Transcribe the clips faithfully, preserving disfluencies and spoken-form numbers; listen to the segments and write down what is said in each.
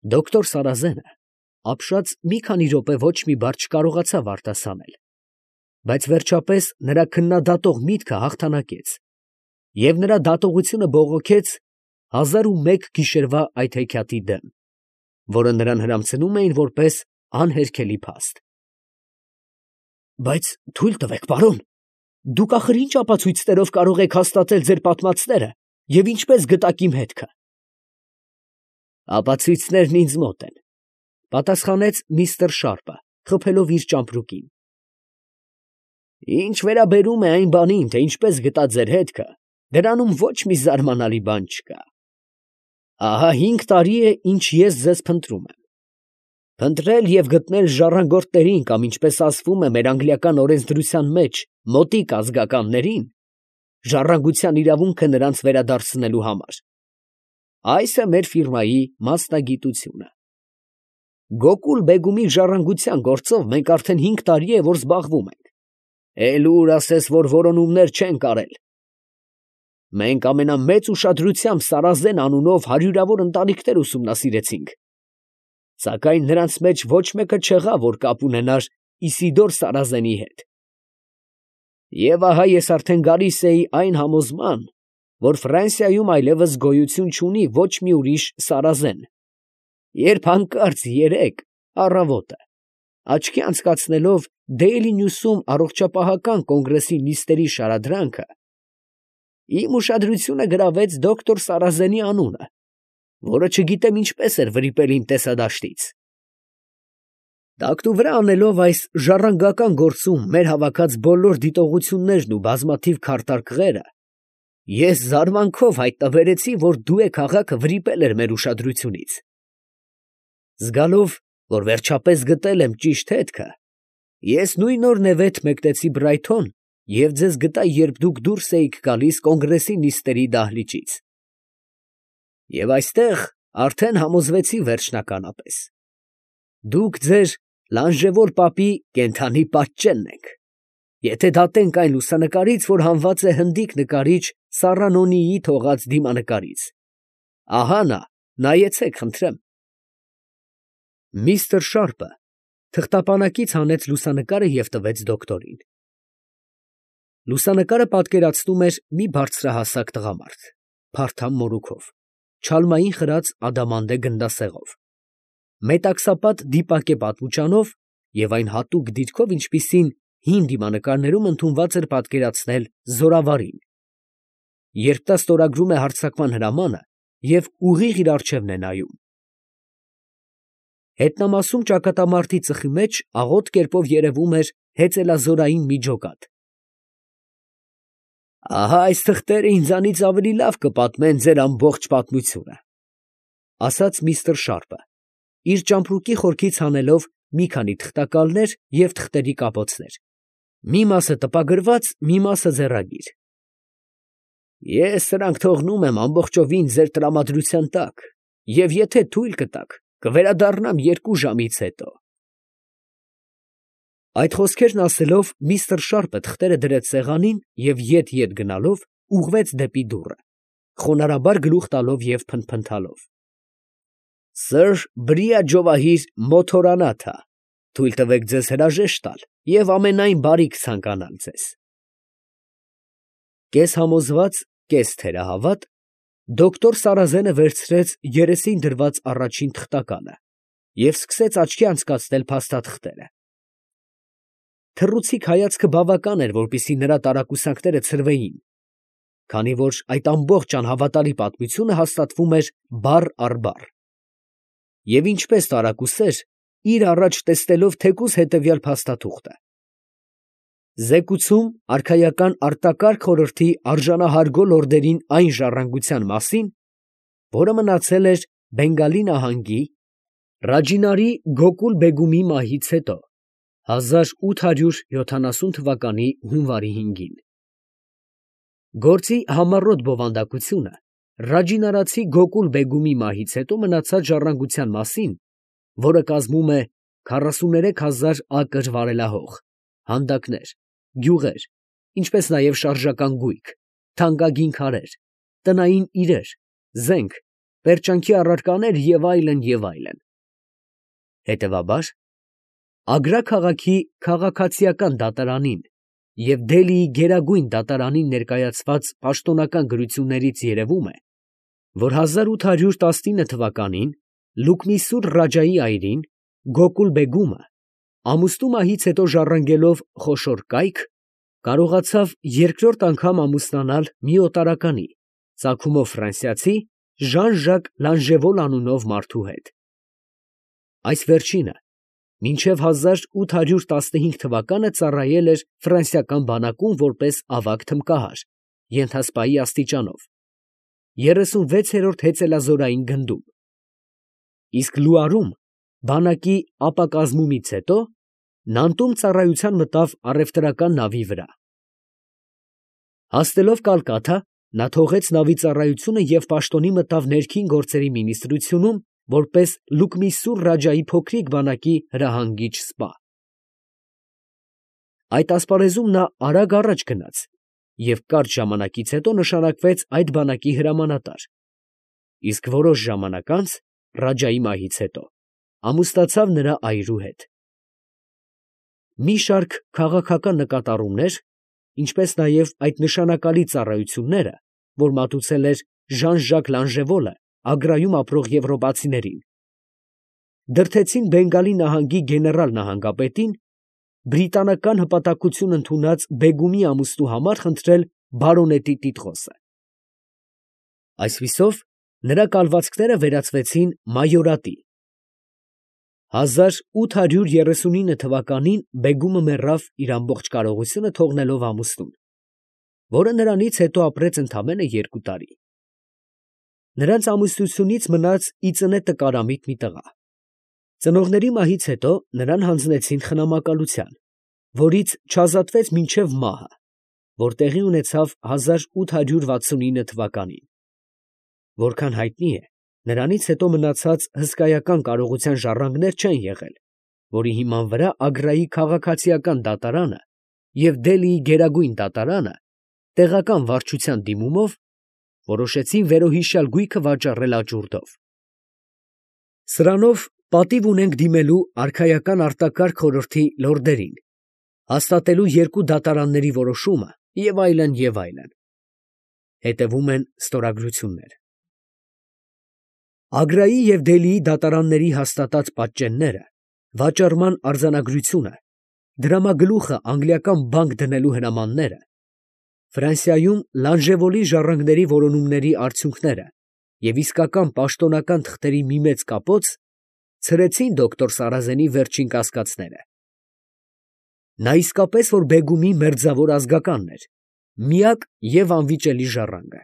Դոկտոր Սարազենը ապշած մի քանի րոպե ոչ մի բառ չկարողացավ արտասանել, բայց վերջապես նրա քննադատող միտքը հաղթանակեց, և նրա դատողությունը բողոքեց հազար ու մեկ գիշերվա այդ հեքիաթի դեմ, որը նրան հրամցնում էին որպես անհերքելի փաստ։ Բայց թույլ տվեք, պարոն, դուք ախր ինչ ապացույցներով կարող եք հաստատել ձեր պատմածները և ինչպես գտաք իմ հետքը։ Ապացույցներն ինձ մոտ են, պատասխանեց միստր Շարպը, խփելով իր ճամպրուկին։ Ինչ վերաբերում է այն բանին, թե ինչպես գտա ձեր հետքը, դրանում ոչ մի զարմանալի բան չկա։ Ահա հինգ տարի է, ինչ ես ձեզ փնտրում եմ։ Փնտրել և գտնել ժառանգորդներին կամ, ինչպես ասվում է մեր անգլիական օրենսդրության մեջ, մոտիկ ազգականներին, ժառանգության իրավունքը նրանց վերադարձնելու համար։ Այս է մեր ֆիրմայի մասնագիտությունը։ Գոկուլ֊Բեգումի ժառանգության գործով մենք արդեն հինգ տարի է, որ զբաղվում ենք։ Էլ ուր ասես, որ որոնումներ չենք արել։ Մենք ամենամեծ ուշադրությամբ Սարազեն անունով հարյուրավոր ընտանիքներ ուսումնասիրեցինք, սակայն նրանց մեջ ոչ մեկը չեղավ, որ կապ ունենար Իսիդոր Սարազենի հետ։ Եվ ահա ես արդեն գալիս էի այն համոզման, որ Ֆրանսիայում այլևս գոյություն չունի ոչ մի ուրիշ Սարազեն, երբ հանկարծ երեկ առավոտը, աչքի անցկացնելով Դեյլի Նյուսում առողջապահական կոնգրեսի նիստերի շարադրանքը, իմ ուշադրությունը գրավեց դոկտոր Սարազենի անունը, որը չգիտեմ ինչպես էր վրիպել իմ տեսադաշտից։ Տակտուվրա անելով այս ժառանգական գործում մեր հավաքած բոլոր դիտողություններն ու բազմաթիվ քարտարկղերը, ես զարմանքով հայտնաբերեցի, որ դու է քաղաքը վրիպել էր մեր ուշադրությունից։ Զգալով, որ վերջապես գտել եմ ճիշտ հետքը, ես նույն օր նևեթ մեկնեցի Բրայթոն և ձեզ գտա, երբ դուք դուրս էիք գալիս կոնգրեսի նիստերի դահլիճից։ Եվ այստեղ արդեն համոզվեցի վերջնականապես. դուք ձեր Լանժևոր պապի կենդանի պատճենն եք, եթե դատենք այն լուսանկարից, որ հանված է հնդիկ նկարիչ Սառանոնիի թողած դիմանկարից։ Ահա նա, նայեցեք խնդրեմ։ Միստր Շարպը թղթապանակից հանեց լուսանկարը և տվեց դոկտորին։ Լուսանկարը պատկերացնում էր մի բարձրահասակ տղամարդ, փարթամ մորուքով, չալմային խրած ադամանդե գնդասեղով, մետաքսապատ դիպակե պատմուճանով և այն հատուկ դիրքով, ինչպիսին հին դիմանկարներում ընդունված էր պատկերացնել զորավարին, երբ նա ստորագրում է հարձակման հրամանը և ուղիղ իր առջևն է նայում։ Հետնամասում ճակատամարտի ծխի մեջ աղոտ կերպով երևում էր հեծելազորային մի ջոկատ։ Ահա այս թղթերը ինձանից ավելի լավ կպատմեն ձեր ամբողջ պատմությունը, ֊ ասաց միստր Շարպը, իր ճամպրուկի խորքից հանելով մի քանի թղթակալներ և թղթերի կապոցներ, մի մասը տպագրված, մի մասը ձեռագիր։ Ես սրանք թողնում եմ ամբողջովին ձեր տրամադրության տակ և եթե թույլ կտաք, կվերադառնամ երկու ժամից հետո։ Այդ խոսքերն ասելով, միստր Շարպը թղթերը դրեց սեղանին և ետ֊ետ գնալով ուղղվեց դեպի դուռը, խոնարհաբար գլուխ տալով և փնթփնթալով. Սըր Բրիա Ջովահիր Մոթորանաթա, թույլ տվեք ձեզ հրաժեշտ տալ և ամենայն բարիք ցանկանալ ձեզ։ Կես համոզված, կես թերահավատ, դոկտոր Սարազենը վերցրեց երեսին դրված առաջին թղթականը և սկսեց աչքի անցկացնել փաստաթղթերը։ Թռուցիկ հայացքը բավական էր, որպեսզի նրա տարակուսանքները ցրվեին, քանի որ այդ ամբողջ անհավատալի պատմությունը հաստատվում էր բառ առ բառ։ Եվ ինչպես տարակուսեր, իր առաջ տեսնելով թեկուզ հետևյալ փաստաթուղթը. Զեկուցում արքայական արտակարգ խորհրդի արժանահարգ լորդերին այն ժառանգության մասին, որը մնացել էր Բենգալի նահանգի Ռաջինարի Գոկուլ֊Բեգումի մահից հետո հազար ութ հարյուր յոթանասուն թվականի հունվարի հինգին։ Գործի համառոտ բովանդակությունը Ռաջինարացի Գոկուլ֊Բեգումի մահից հետո մնացած ժառանգության մասին, որը կազմում է քառասուներեք հազար ակր վարելահող, հանդակներ, գյուղեր, ինչպես նաև շարժական գույք, թանկագին քարեր, տնային իրեր, զենք, պերճանքի առարկաներ և այլն և այլն։ Հետևաբար, Ագրա քաղաքի քաղաքացիական դատարանին և Դելիի գերագույն դատարանին ներկայացված պաշտոնական գրություններից երևում է, որ հազար ութ հարյուր տասնինը թվականին Լուկմիսուր Ռաջայի այրին Գոկուլ֊բեգումը, ամուսնու մահից հետո ժառանգելով խոշոր կայք, կարողացավ երկրորդ անգամ ամուսնանալ մի օտարականի, ծագումով ֆրանսիացի Ժան֊Ժակ Լանժևոլ անունով մարդու հետ։ Այս վերջինը մինչև հազար ութ հարյուր տասնհինգ թվականը ծառայել էր ֆրանսիական բանակում որպես ավագ թմկահար, ենթասպայի աստիճանով, երեսունվեցերորդ հեծելազորային գնդում, իսկ Լուարում բանակի ապակազմումից հետո Նանտում ծառայության մտավ առևտրական նավի վրա։ Հասնելով Կալկաթա, նա թողեց նավի ծառայությունը և պաշտոնի մտավ ներքին գործերի մինիստրությունում, որպես Լուկմիսուր Ռաջայի փոքրիկ բանակի հրահանգիչ սպա։ Այդ ասպարեզում նա արագ առաջ գնաց և կարճ ժամանակից հետո նշանակվեց այդ բանակի հրամանատար, իսկ որոշ ժամանակ անց, Ռաջայի մահից հետո, ամուսնացավ նրա այրու հետ։ Մի շարք քաղաքական նկատառումներ, ինչպես նաև այդ նշանակալի ծառայությունները, որ մատուցել էր Ժան֊Ժակ Լանժևոլը Ագրայում ապրող եվրոպացիներին, դրդեցին Բենգալի նահանգի գեներալ նահանգապետին բրիտանական հպատակություն ընդունած բեգումի ամուսնու համար խնդրել բարոնետի տիտղոսը։ Այսպիսով, նրա կալվածքները վերածվեցին մայորատի։ հազար ութ հարյուր երեսունինը թվականին բեգումը մեռավ իր ամբողջ կարողությունը թողնելով ամուսնուն, որը նրանից հետո ապրեց ընդամենը երկու տարի։ Նրանց ամուսնությունից մնաց ի ծնե տկարամիտ մի տղա։ Ծնողների մահից հետո նրան հանձնեցին խնամակալության, որից չազատվեց մինչև մահը, որ տեղի ունեցավ հազար ութ հարյուր վաթսունինը թվականին։ Որքան հայտնի է, նրանից հետո մնացած հսկայական կարողության ժառանգներ չեն եղել, որի հիման վրա Ագրայի քաղաքացիական դատարանը և Դելիի գերագույն դատարանը տեղական վարչության դիմումով որոշեցին վերոհիշյալ գույքը վաճառել աճուրդով։ Սրանով պատիվ ունենք դիմելու արքայական արտակարգ խորհրդի լորդերին, հաստատելու երկու դատարանների որոշումը և այլն, և այլն։ Հետևում են ստորագրություններ։ Ագրայի և Դելիի դատարանների հաստատած պատճենները, վաճառման արձանագրությունը, դրամագլուխը անգլիական բանկ դնելու հրամանները, Ֆրանսիայում Լանժևոլի ժառանգների որոնումների արդյունքները և իսկական պաշտոնական թղթերի մի մեծ կապոց ցրեցին դոկտոր Սարազենի վերջին կասկածները։ Նա իսկապես որ բեգումի մերձավոր ազգականն էր, միակ և անվիճելի ժառանգը։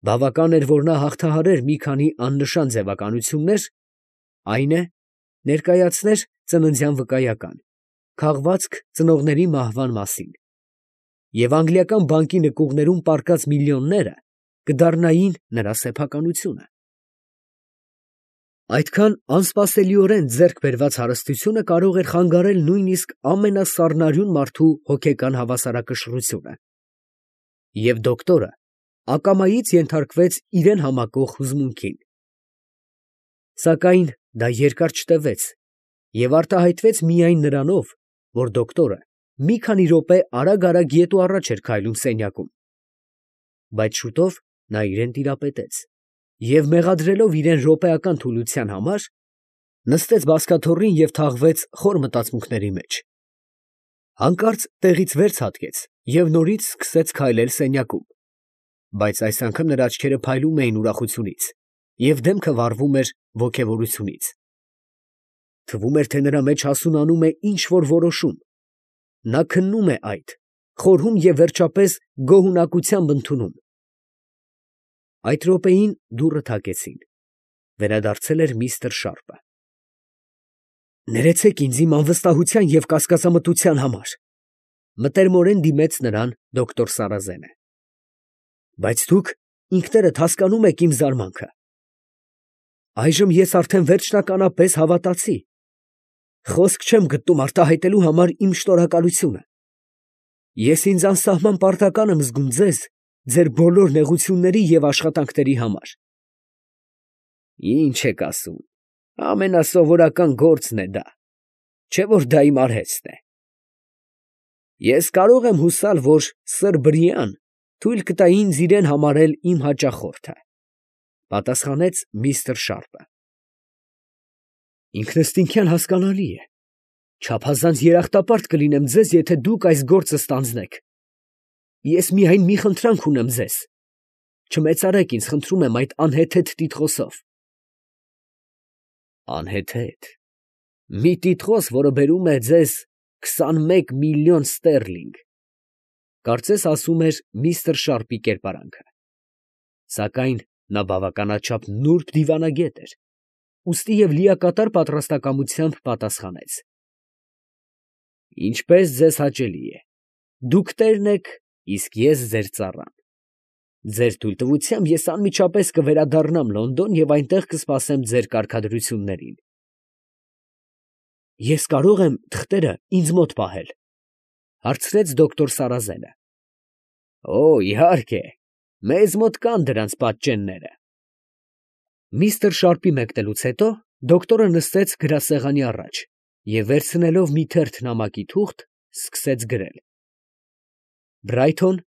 Բավական էր, որ նա հաղթահարեր մի քանի աննշան ձևականություններ, այն է, ներկայացներ ծննդյան վկայական, քաղվածք ծնողների մահվան մասին, և անգլիական բանկի նկուղներում պառկած միլիոնները կդառնային նրա սեփականությունը։ Այդքան անսպասելիորեն ձեռք բերված հարստությունը կարող էր խանգարել նույնիսկ ամենասառնարյուն մարդու հոգեկան հավասարակշռությունը, և դոկտորը ակամայից ենթարկվեց իրան համակող հուզմունքին։ Սակայն դա երկար չտևեց և արտահայտվեց միայն նրանով, որ դոկտորը մի քանի րոպե արագ֊արագ ետ ու առաջ էր քայլում սենյակում, բայց շուտով նա իրան տիրապետեց և, մեղադրելով իրան րոպեական թուլության համար, նստեց բազկաթոռին և թաղվեց խոր մտածմունքների մեջ։ Հանկարծ տեղից վեր ցատկեց և նորից սկսեց քայլել սենյակում, բայց այս անգամ նրա աչքերը փայլում էին ուրախությունից և դեմքը վառվում էր ոգևորությունից։ Թվում էր, թե նրա մեջ հասունանում է ինչ֊որ որոշում, նա քննում է այդ, խորհում և վերջապես գոհունակությամբ ընդունում։ Այդ րոպեին դուռը թակեցին. վերադարձել էր միստր Շարպը։ «Ներեցեք ինձ իմ անվստահության և կասկածամտության համար», ֊ մտերմորեն դիմեց նրան դոկտոր Սարազենը։ «Բայց դուք ինքներդ հասկանում եք իմ զարմանքը։ Այժմ ես արդեն վերջնականապես հավատացի։ Խոսք չեմ գտնում արտահայտելու համար իմ շնորհակալությունը։ Ես ինձ անսահման պարտական եմ զգում ձեզ ձեր բոլոր նեղությունների և աշխատանքների համար։ Ինչ եք ասում, ամենասովորական գործն է դա, չէ որ դա իմ արհեստն է։ Ես կարող եմ հուսալ, որ սըր Բրիան թույլ կտա ինձ իրեն համարել իմ հաճախորդը, պատասխանեց միստր Շարպը։ Ինքնըստինքյան հասկանալի է, չափազանց երախտապարտ կլինեմ ձեզ, եթե դուք այս գործը ստանձնեք։ Ես միայն մի խնդրանք ունեմ ձեզ. չմեծարեք ինձ, խնդրում եմ, այդ անհեթեթ տիտղոսով։ Անհեթեթ, մի տիտղոս, որը բերում է ձեզ քսանմեկ միլիոն ստերլինգ, կարծես ասում էր միստր Շարպի կերպարանքը։ Սակայն նա բավականաչափ նուրբ դիվանագետ էր, ուստի և լիակատար պատրաստակամությամբ պատասխանեց. Ինչպես ձեզ հաճելի է, դուք տերն եք, իսկ ես ձեր ծառան։ Ձեր թույլտվությամբ ես անմիջապես կվերադառնամ Լոնդոն և այնտեղ կսպասեմ ձեր կարգադրություններին։ Ես կարող եմ թղթերը ինձ մոտ պահել, հարցրեց դոկտոր Սարազենը։ Օ, իհարկե, մեզ մոտ կան դրանց պատճենները։ Միստր Շարպի մեկնելուց հետո դոկտորը նստեց գրասեղանի առաջ և վերցնելով մի թերթ նամակի թուղթ, սկսեց գրել. Բրայթոն,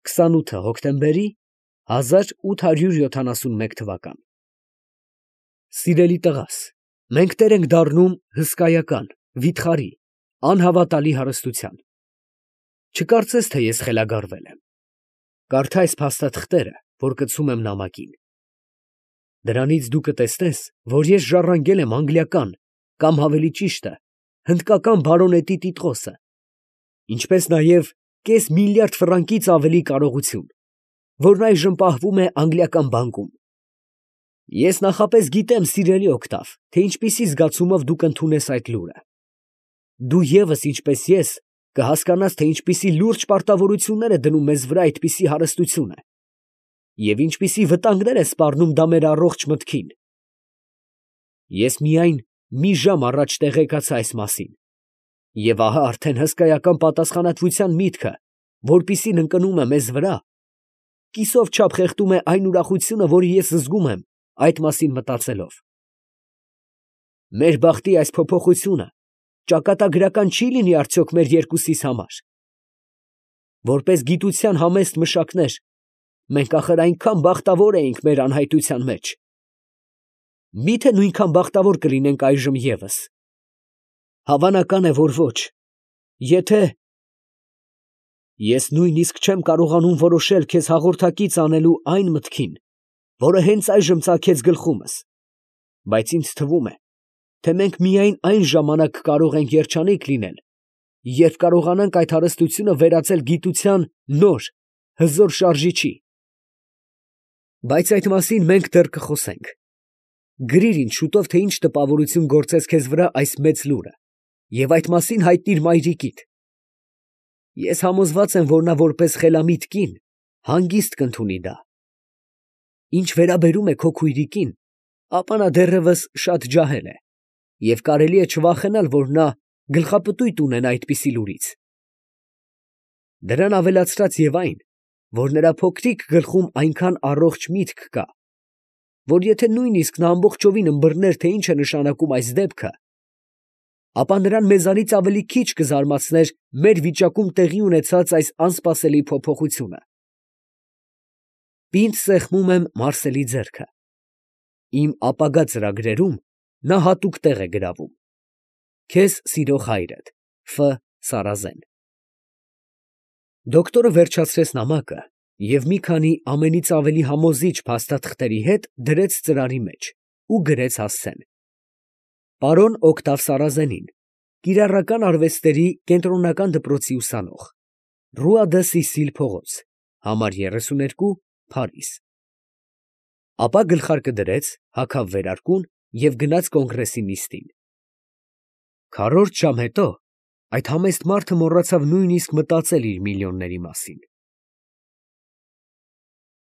քսանութը հոկտեմբերի հազար ութ հարյուր յոթանասունմեկ թվական։ Սիրելի տղաս, մենք տեր ենք դառնում հսկայական, վիթխարի, անհավատալի հարստության։ Չկարծես, թե ես խելագարվել եմ։ Կարդա այս փաստաթղթերը, որ կցում եմ նամակին։ Դրանից դու կտեսնես, որ ես ժառանգել եմ անգլիական, կամ ավելի ճիշտը, հնդկական բարոնետի տիտղոսը, ինչպես նաև կես միլիարդ ֆրանկից ավելի կարողություն, որն այժմ պահվում է անգլիական բանկում։ Ես նախապես գիտեմ, սիրելի Օգտավ, թե ինչպիսի զգացումով դու կընդունես այդ լուրը։ Դու ևս, ինչպես ես, կհասկանաս, թե ինչպիսի լուրջ պարտավորություններ է դնում մեզ վրա այդպիսի հարստությունը, և ինչպիսի վտանգներ է սպառնում դա մեր առողջ մտքին։ Ես միայն մի ժամ առաջ տեղեկացա այս մասին, և ահա արդեն հսկայական պատասխանատվության միտքը, որպիսին ընկնում է մեզ վրա, կիսով չափ խեղդում է այն ուրախությունը, որը ես զգում եմ այդ մասին մտածելով։ Մեր բախտի այս փոփոխությունը ճակատագրական չի լինի արդյոք մեր երկուսիս համար։ Որպես գիտության համեստ մշակներ, մենք ախր այնքան բախտավոր էինք մեր անհայտության մեջ։ Մի՞թե նույնքան բախտավոր կլինենք այժմ ևս։ Հավանական է, որ ոչ, եթե… Ես նույնիսկ չեմ կարողանում որոշել քեզ հաղորդակից անելու այն մտքին, որը հենց այժմ ծագեց գլխումս, բայց ինձ թվում է, թե մենք միայն այն ժամանակ կարող ենք երջանիկ լինել, երբ կարողանանք այդ հարստությունը վերածել գիտության նոր, հզոր շարժիչի։ Բայց այդ մասին մենք դեռ կխոսենք։ Գրիր ինձ շուտով, թե ինչ տպավորություն գործեց քեզ վրա այս մեծ լուրը, և այդ մասին հայտնիր մայրիկիդ։ Ես համոզված եմ, որ նա որպես խելամիտ կին հանգիստ կընդունի դա։ Ինչ վերաբերում է քո քույրիկին, ապա նա դեռևս շատ ջահել է, և կարելի է չվախենալ, որ նա գլխապտույտ ունենա այդպիսի լուրից։ Դրան ավելացրած և այն, որ նրա փոքրիկ գլխում այնքան առողջ միտք կա, որ եթե նույնիսկ նա ամբողջովին ըմբռներ, թե ինչ է նշանակում այս դեպքը, ապա նրան մեզանից ավելի քիչ կզարմացներ մեր վիճակում տեղի ունեցած այս անսպասելի փոփոխությունը։ Պինդ սեղմում եմ Մարսելի ձեռքը։ Իմ ապագա ծրագրերում նա հատուկ տեղ է գրավում։ Քեզ սիրող հայրդ, Ֆ. Սարազեն։ Դոկտորը վերջացրեց նամակը և մի քանի ամենից ավելի համոզիչ փաստաթղթերի հետ դրեց ծրարի մեջ ու գրեց հասցեն. Պարոն Օգտավ Սարազենին, կիրառական արվեստների կենտրոնական դպրոցի ուսանող, Ռուա դը Սիսիլ փողոց, համար երեսուներկու, Փարիզ։ Ապա գլխարկը դրեց, հագավ վերարկուն և գնաց կոնգրեսի նիստին։ Քառորդ ժամ հետո այդ համեստ մարդը մոռացավ նույնիսկ մտածել իր միլիոնների մասին։